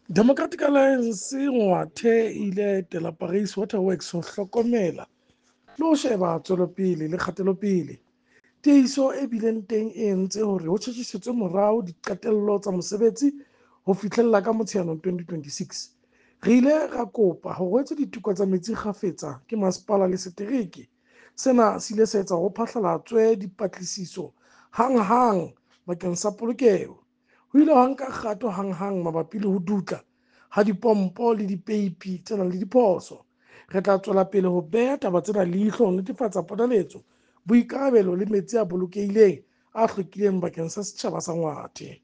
Democratic Alliance Ngwathe e ile ya etela Paris Water Works ho hlokomela le ho sheba tswelopele le kgatelopele. Tiehiso e bileng teng e entse hore ho tjhetjhisetswe morao diqetello tsa mosebetsi ho fihlella ka Motsheanong 2026. Re ile ra kopa hore ho etswe diteko tsa metsi kgafetsa ke masepala le setereke. Sena se ile sa etsa hore ho phatlalatswe dipatlisiso hanghang bakeng sa polokeho. Ho ile hwa nka kgato hanghang mabapi le ho dutla ha dipompo le dipeipi tse nang le diphoso. Re tla tswela pele ho beha taba tsena leihlo ho netefatsa ponaletso, boikarabelo le metsi a bolokehileng, a hlwekileng bakeng sa setjhaba sa Ngwathe.